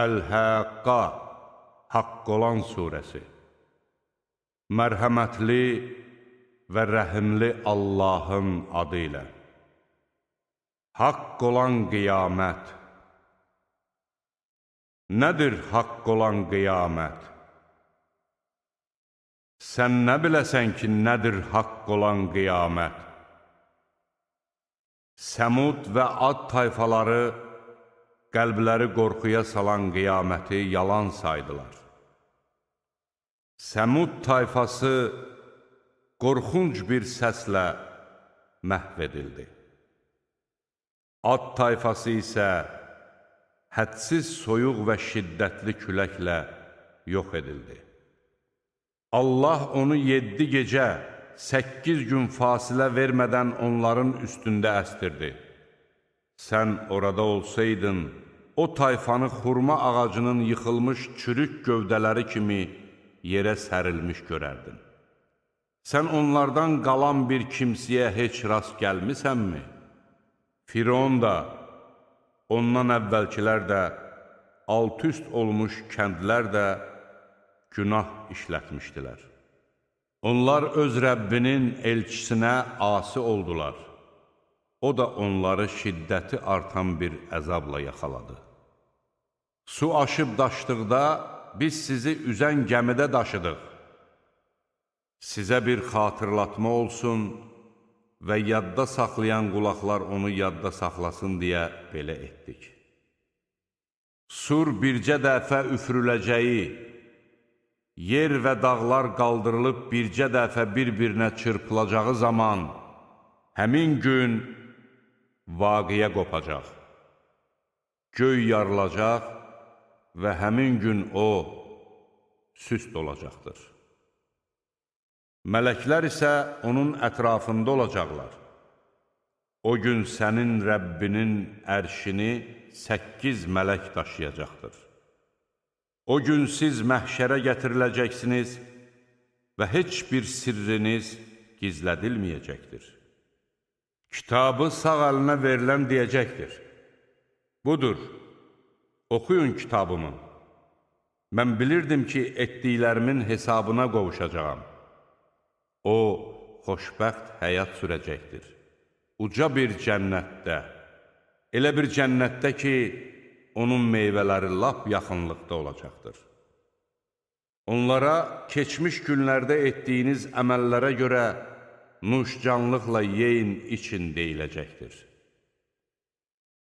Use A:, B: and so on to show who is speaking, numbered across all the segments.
A: Əl-Həqqa, Haqq olan surəsi. Mərhəmətli və rəhimli Allahın adı ilə. Haqq olan qiyamət. Nədir haqq olan qiyamət? Sən nə biləsən ki, nədir haqq olan qiyamət? Səmud və Ad tayfaları qəlbləri qorxuya salan qiyaməti yalan saydılar. Səmud tayfası qorxunc bir səslə məhv edildi. Ad tayfası isə hədsiz soyuq və şiddətli küləklə yox edildi. Allah onu 7 gecə, 8 gün fasilə vermədən onların üstündə əstirdi. Sən orada olsaydın, o tayfanı xurma ağacının yıxılmış çürük gövdələri kimi yerə sərilmiş görərdin. Sən onlardan qalan bir kimsəyə heç rast gəlmisənmi? Firon da, ondan əvvəlkilər də, alt-üst olmuş kəndlər də günah işlətmişdilər. Onlar öz Rəbbinin elçisinə asi oldular. O da onları şiddəti artan bir əzabla yaxaladı. Su aşıb daşdıqda biz sizi üzən gəmidə daşıdıq. Sizə bir xatırlatma olsun və yadda saxlayan qulaqlar onu yadda saxlasın deyə belə etdik. Sur bircə dəfə üfürüləcəyi, yer və dağlar qaldırılıb bircə dəfə bir-birinə çırpılacağı zaman, həmin gün vaqiyə qopacaq. Göy yarılacaq və həmin gün o süst olacaqdır. Mələklər isə onun ətrafında olacaqlar. O gün sənin Rəbbinin ərşini 8 mələk daşıyacaqdır. O gün siz məhşərə gətiriləcəksiniz və heç bir sirriniz gizlədilməyəcəkdir. Kitabı sağ əlinə verilən deyəcəkdir. Budur, oxuyun kitabımı. Mən bilirdim ki, etdiklərimin hesabına qovuşacağam. O, xoşbəxt həyat sürəcəkdir. Uca bir cənnətdə, elə bir cənnətdə ki, onun meyvələri lap yaxınlıqda olacaqdır. Onlara keçmiş günlərdə etdiyiniz əməllərə görə nuşcanlıqla yeyin, için deyiləcəkdir.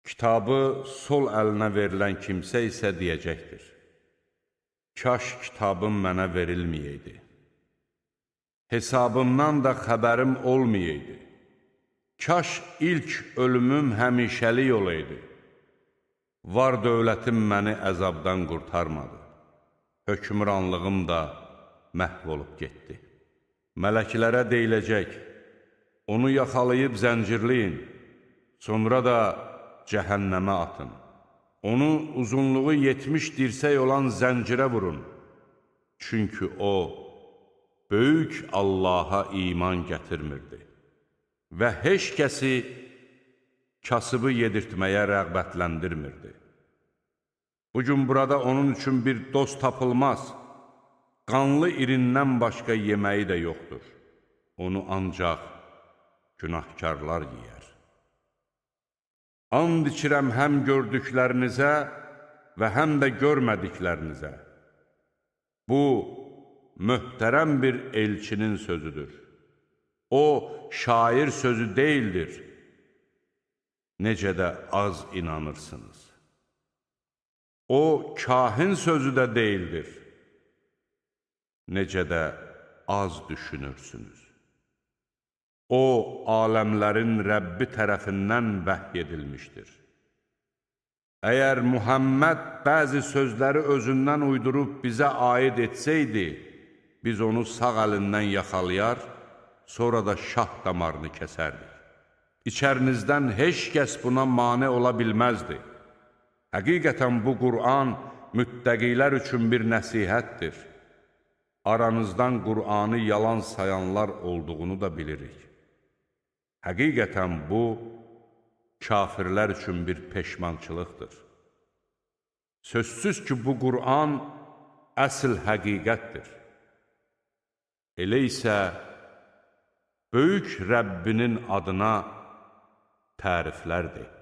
A: Kitabı sol əlinə verilən kimsə isə deyəcəkdir. Kaş kitabım mənə verilməyəydi. Hesabımdan da xəbərim olmayaydı. Kaş ilk ölümüm həmişəlik olaydı. Var dövlətim məni əzabdan qurtarmadı. Hökmranlığım da məhv olub getdi. Mələklərə deyiləcək, onu yaxalayıb zəncirləyin, sonra da cəhənnəmə atın. Onu uzunluğu 70 dirsək olan zəncirə vurun. Çünki o, böyük Allaha iman gətirmirdi və heç kəsi kasıbı yedirtməyə rəğbətləndirmirdi. Bugün burada onun üçün bir dost tapılmaz, qanlı irindən başqa yeməyi də yoxdur. Onu ancaq günahkarlar yeyər. And içirəm həm gördüklərinizə və həm də görmədiklərinizə. Bu, möhtərəm bir elçinin sözüdür. O, şair sözü deyildir. Necə də az inanırsınız. O, kahin sözü də deyildir. Necə də az düşünürsünüz. O, aləmlərin Rəbbi tərəfindən vəhy edilmişdir. Əgər Muhammed bəzi sözləri özündən uydurub bizə aid etsəydi, biz onu sağ əlindən yaxalayar, sonra da şah damarını kəsərdik. İçərinizdən heç kəs buna mane ola bilməzdi. Həqiqətən bu Qur'an müttəqilər üçün bir nəsihətdir. Aranızdan Qur'anı yalan sayanlar olduğunu da bilirik. Həqiqətən bu, kafirlər üçün bir peşmançılıqdır. Sözsüz ki, bu Qur'an əsl həqiqətdir. Elə isə böyük Rəbbinin adına təriflərdir.